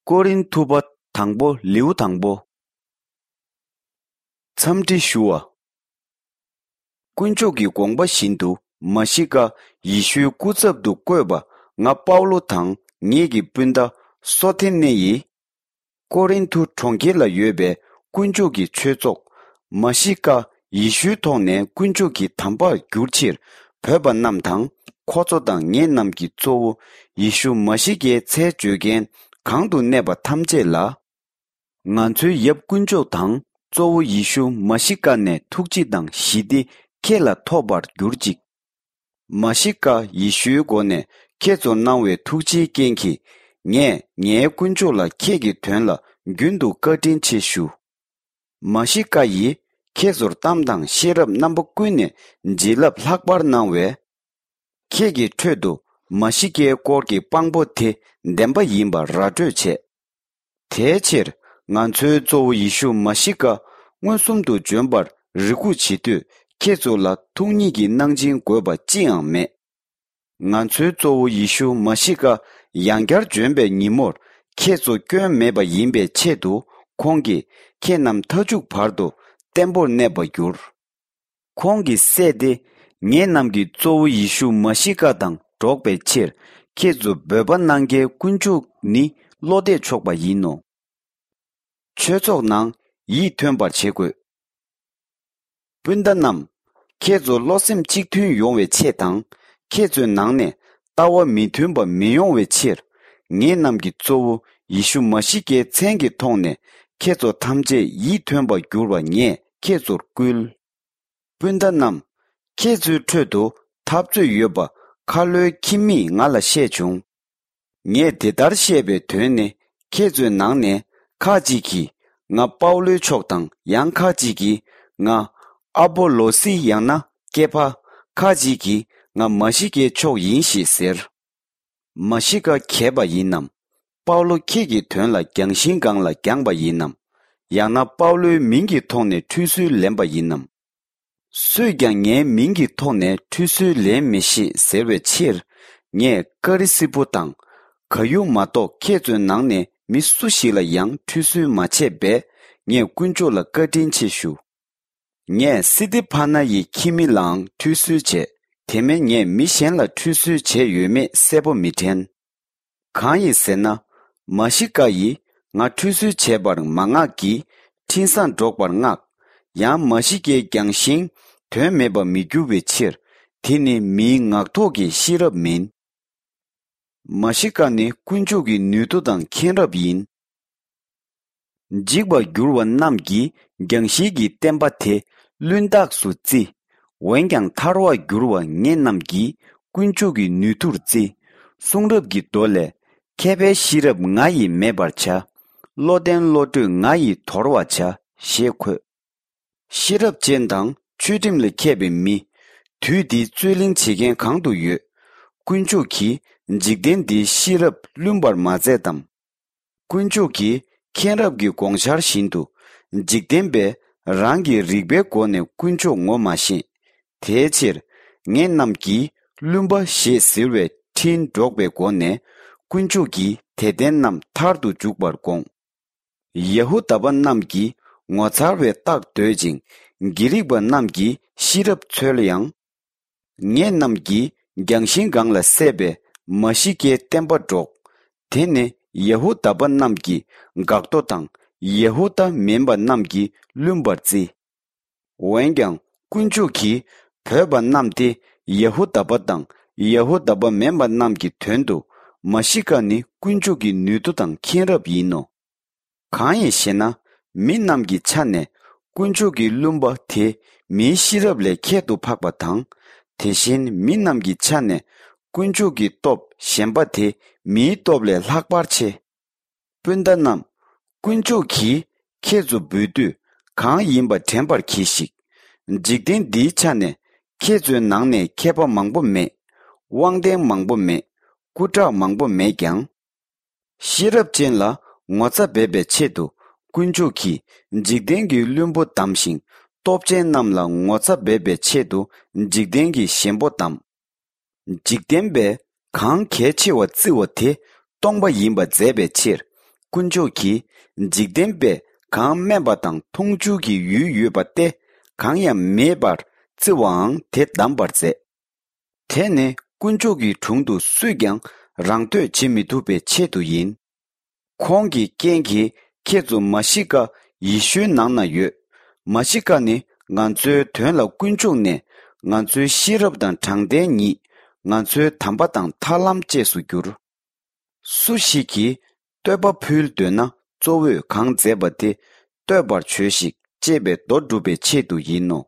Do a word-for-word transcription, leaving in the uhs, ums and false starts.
ཀོ་རིན་ཐུ་པ་དང་པོ་ལེའུ་དང་པོ། འཚམས་འདྲི་ཞུ་བ། དཀོན་མཆོག་གི་དགོངས་པ་བཞིན་དུ་མ་ཤི་ཀ་ཡེ་ཤུའི་སྐུ་ཚབ་ཏུ་བསྐོས་པ་ང་པའུ་ལོ་དང་ངེད་ཀྱི་སྤུན་ཟླ་སོ་ཐེ་ནེ་ཡིས། ཀོ་རིན་ཐུ་གྲོང་ཁྱེར་ལ་ཡོད་པའི་དཀོན་མཆོག་གི་ཆོས་ཚོགས་མ་ཤི་ཀ་ཡེ་ཤུའི་ཐོག་ནས་དཀོན་མཆོག་གི་དམ་པར་འགྱུར་ཕྱིར་བོས་པ་རྣམས་དང་། ཁོ་ཚོ་དང་ངེད་རྣམས་ཀྱི་གཙོ་བོ་ཡེ་ཤུ་མ་ཤི་ཀའི་མཚན་བརྗོད་མཁན་གང་དུ་གནས་པ་ཐམས་ཅད་ལ། ང་ཚོའི་ཡབ་དཀོན་མཆོག་དང་གཙོ་བོ་ཡེ་ཤུ་མ་ཤི་ཀ་ནས་ཐུགས་རྗེ་དང་ཞི་བདེ་ཁྱེད་ལ་ཐོབ་པར་གྱུར་ཅིག། མ་ཤི་ཀ་ཡེ་ཤུའི་སྒོ་ནས་ཁྱེད་ཚོར་གནང་བའི་ཐུགས་རྗེའི་རྐྱེན་གྱིས། ངས་ངའི་དཀོན་མཆོག་ལ་ཁྱེད་ཀྱི་དོན་ལ་རྒྱུན་དུ་བཀའ་དྲིན་ཆེ་ཞུ། མ་ཤི་ཀ་ཡིས་ཁྱེད་ཚོར་གཏམ་དང་ཤེས་རབ་རྣམ་པ་ཀུན་ནས་བྱིན་རླབས་ལྷག་པར་གནང་བས། ཁྱེད་ཀྱི་ཁྲོད་དུ་མ་ཤི་ཀའི་སྐོར་གྱི་དཔང་པོ་དེ་བདེན་པ་ཡིན་པར་ར་སྤྲོད་བྱས། དེའི་ཕྱིར་ང་ཚོའི་གཙོ་བོ་ཡེ་ཤུ་མ་ཤི་ཀ་མངོན་སུམ་དུ་འབྱོན་པར་རེ་སྒུག་བྱེད་དུས། ཁྱེད་ཚོ་ལ་ཐུགས་ཉིད་ཀྱི་གནང་སྦྱིན་དགོས་པ་ཅི་ཡང་མེད། ང་ཚོའི་གཙོ་བོ་ཡེ་ཤུ་མ་ཤི་ཀ་ཡང་བསྐྱར་འབྱོན་པའི་ཉིན་མོར་ཁྱེད་ཚོ་སྐྱོན་མེད་པ་ཡིན་པའི་ཆེད་དུ། ཁོང་གིས་ཁྱེད་རྣམས་མཐའ་མཇུག་བར་དུ་བརྟན་པོར་གནས་པར་འགྱུར། ཁོང་གི་སྲས་ཏེ་ངེད་རྣམས་ཀྱི་གཙོ་བོ་ཡེ་ཤུ་མ་ཤི་ཀ་དང་འགྲོགས་པའི་ཕྱིར། ཁྱེད་ཚོ་འབོད་པ་གནང་མཁན་དཀོན་མཆོག་ནི་བློ་གཏད་ཆོག་པ་ཡིན་ནོ། ཆོས་ཚོགས་ནང་ཡིད་མཐུན་པར་བྱེད་དགོས། སྤུན་ཟླ་རྣམས། ཁྱེད་ཚོ་བློ་སེམས་གཅིག་མཐུན་ཡོང་བའི་ཆེད་དང་། ཁྱེད་ཚོའི་ནང་ནས་ལྟ་བ་མི་མཐུན་པ་མི་ཡོང་བའི་ཕྱིར། ངེད་རྣམས་ཀྱི་གཙོ་བོ་ཡེ་ཤུ་མ་ཤི་ཀའི་མཚན་གྱི་ཐོག་ནས་ཁྱེད་ཚོ་ཐམས་ཅད་ཡིད་མཐུན་པར་འགྱུར་བ་ངས་ཁྱེད་ཚོར་བསྐུལ། སྤུན་ཟླ་རྣམས། ཁྱེད་ཚོའི་ཁྲོད་དུ་འཐབ་རྩོད་ཡོད་པ་ཁ་ལོའི་ཁྱིམ་མིས་ང་ལ་བཤད་བྱུང་། ངས་དེ་ལྟར་བཤད་པའི་དོན་ནི། ཁྱེད་ཚོའི་ནང་ནས་ཁ་ཅིག་གིས་ང་པའུ་ལོའི་ཕྱོགས་དང་། ཡང་ཁ་ཅིག་གིས་ང་ཨ་པོ་ལོ་སི་ཡང་ན་ཀེ་ཕ། ཁ་ཅིག་གིས་ང་མ་ཤི་ཀའི་ཕྱོགས་ཡིན་ཞེས་ཟེར། མ་ཤི་ཀ་གྱེས་པ་ཡིན་ནམ། པའུ་ལོ་ཁྱེད་ཀྱི་དོན་ལ་རྒྱང་ཤིང་སྒང་ལ་བརྒྱངས་པ་ཡིན་ནམ། ཡང་ན་པའུ་ལོའི་མིང་གི་ཐོག་ནས་ཁྲུས་གསོལ་ལེན་པ་ཡིན་ནམ། སུས་ཀྱང་ངའི་མིང་གི་ཐོག་ནས་ཁྲུས་གསོལ་ལེན་མི་ཤེས་ཟེར་བའི་ཕྱིར། ངས་ཀ་རི་སི་པུ་དང་ག་ཡུ་མ་གཏོགས་ཁྱེད་ཚོའི་ནང་ནས་མི་སུ་ཞིག་ལ་ཡང་ཁྲུས་གསོལ་མ་བྱས་པས། ངས་དཀོན་མཆོག་ལ་བཀའ་དྲིན་ཆེ་ཞུ། ངས་སི་ཏི་ཕ་ན་ཡི་ཁྱིམ་མི་ལའང་ཁྲུས་གསོལ་བྱས། དེ་མིན་ངས་མི་གཞན་ལ་ཁྲུས་གསོལ་བྱས་ཡོད་མེད་གསལ་པོ་མི་དྲན། གང་ཡིན་ཟེར་ན། མ་ཤི་ཀ་ཡིས་ང་ཁྲུས་གསོལ་བྱས་པར་མ་མངགས་ཀྱིས། འཕྲིན་བཟང་སྒྲོག་པར་མངགས། ཡང་མ་ཤི་ཀའི་རྒྱང་ཤིང་དོན་མེད་པར་མི་འགྱུར་བའི་ཕྱིར། དེ་ནི་མིའི་ངག་ཐོག་གི་ཤེས་རབ་མིན། མ་ཤི་ཀ་ནི་དཀོན་མཆོག་གི་ནུས་མཐུ་དང་མཁྱེན་རབ་ཡིན། འཇིག་པར་འགྱུར་བ་རྣམས་ཀྱིས་རྒྱང་ཤིང་གི་བསྟན་པ་དེ་བླུན་རྟགས་སུ་བརྩི། འོན་ཀྱང་ཐར་བར་འགྱུར་བ་ངེད་རྣམས་ཀྱིས་དཀོན་མཆོག་གི་ནུས་མཐུར་བརྩི། གསུང་རབ་ཀྱི་མདོ་ལས། མཁས་པའི་ཤེས་རབ་ང་ཡིས་མེད་པར་བྱ། བློ་ལྡན་བློ་གྲོས་ང་ཡིས་དོར་བར་བྱ། ཞེས་འཁོད། ཤེས་རབ་ཅན་དང་ཆོས་ཁྲིམས་ལས་མཁས་པའི་མི། དུས་འདིའི་རྩོད་གླེང་བྱེད་མཁན་གང་དུ་ཡོད། དཀོན་མཆོག་གིས་འཇིག་རྟེན་འདིའི་ཤེས་རབ་བླུན་པར་མ་མཛད་དམ། དཀོན་མཆོག་གིས་མཁྱེན་རབ་ཀྱི་དགོངས་འཆར་བཞིན་དུ། འཇིག་རྟེན་པས་རང་གི་རིག་པའི་སྒོ་ནས་དཀོན་མཆོག་ངོ་མ་ཤེས། དེའི་ཕྱིར། ངེད་རྣམས་ཀྱིས་བླུན་པ་ཞེས་ཟེར་བའི་འཕྲིན་སྒྲོག་པའི་སྒོ་ནས། དཀོན་མཆོག་གིས་དད་ལྡན་རྣམས་ཐར་དུ་འཇུག་པར་དགོངས། ཡ་ཧུ་དཱ་པ་རྣམས་ཀྱིས་ངོ་མཚར་བའི་རྟགས་འདོད་ཅིང་། གྷི་རིག་པ་རྣམས་ཀྱིས་ཤེས་རབ་འཚོལ་ཡང་། ངེད་རྣམས་ཀྱིས་རྒྱང་ཤིང་སྒང་ལ་བསད་པའི་མ་ཤི་ཀའི་བསྟན་པ་སྒྲོག། དེ་ནི་ཡ་ཧུ་དཱ་པ་རྣམས་ཀྱི་འགག་རྡོ་དང་། ཡ་ཧུ་དཱ་མིན་པ་རྣམས་ཀྱིས་བླུན་པར་བརྩི། འོན་ཀྱང་དཀོན་མཆོག་གིས་བོས་པ་རྣམས་ཏེ། ཡ་ཧུ་དཱ་པ་དང་ཡ་ཧུ་དཱ་པ་མིན་པ་རྣམས་ཀྱི་དོན་དུ། མ་ཤི་ཀ་ནི་དཀོན་མཆོག་གི་ནུས་མཐུ་དང་མཁྱེན་རབ་ཡིན་ནོ། གང་ཡིན་ཞེ་ན། མི་རྣམས་ཀྱི་ཆ་ནས་དཀོན་མཆོག་གི་བླུན་པ་དེ་མིའི་ཤེས་རབ་ལས་ཁྱད་དུ་འཕགས་པ་དང་། དེ་བཞིན་མི་རྣམས་ཀྱི་ཆ་ནས་དཀོན་མཆོག་གི་སྟོབས་ཞན་པ་དེ་མིའི་སྟོབས་ལས་ལྷག་པར་ཆེ། སྤུན་ཟླ་རྣམས། དཀོན་མཆོག་གིས་ཁྱེད་ཚོ་འབོད་དུས་གང་ཡིན་པ་དྲན་པར་གྱིས་ཤིག། འཇིག་རྟེན་འདིའི་ཆ་ནས་ཁྱེད་ཚོའི་ནང་ནས་མཁས་པ་མང་པོ་མེད། དབང་ལྡན་མང་པོ་མེད། སྐུ་དྲག་མང་པོ་མེད་ཀྱང་། ཤེས་རབ་ཅན་ལ་ངོ་ཚ་འབེབས་པའི་ཆེད་དུ། དཀོན་མཆོག་གིས་འཇིག་རྟེན་གྱི་བླུན་པོ་བདམས་ཤིང་། སྟོབས་ཅན་རྣམས་ལ་ངོ་ཚ་འབེབས་པའི་ཆེད་དུ། འཇིག་རྟེན་གྱི་ཞན་པོ་བདམས། འཇིག་རྟེན་པས་གང་གལ་ཆེ་བ་བརྩི་བ་དེ་སྟོང་པ་ཡིན་པ་མཛད་པའི་ཕྱིར། དཀོན་མཆོག་གིས་འཇིག་རྟེན་པས་གང་སྨྲས་པ་དང་མཐོང་ཆོས་ཀྱི་ཡུལ་ཡོད་པ་སྟེ་གང་ཡང་མེད་པར་བརྩི་བའང་དེ་བདམས་པར་མཛད། དེ་ནི་དཀོན་མཆོག་གི་དྲུང་དུ་སུས་ཀྱང་རང་བསྟོད་བྱེད་མི་ཐུབ་པའི་ཆེད་དུ་ཡིན། ཁོང་གི་རྐྱེན་གྱིས་ཁྱེད་ཚོ་མ་ཤི་ཀ་ཡེ་ཤུའི་ནང་ན་ཡོད། མ་ཤི་ཀ་ནི་ང་ཚོའི་དོན་ལ་དཀོན་མཆོག་ནས་ང་ཚོའི་ཤེས་རབ་དང་དྲང་བདེན་ཉིད། ང་ཚོའི་དམ་པ་དང་ཐར་ལམ་བཅས་སུ་གྱུར། སུ་ཞིག་གིས་བསྟོད་པ་ཕུལ་འདོད་ན་གཙོ་བོས་གང་མཛད་པ་དེ་བསྟོད་པར་བྱོས་ཤིག་ཅེས་པའི་མདོ་སྒྲུབ་པའི་ཆེད་དུ་ཡིན་ནོ།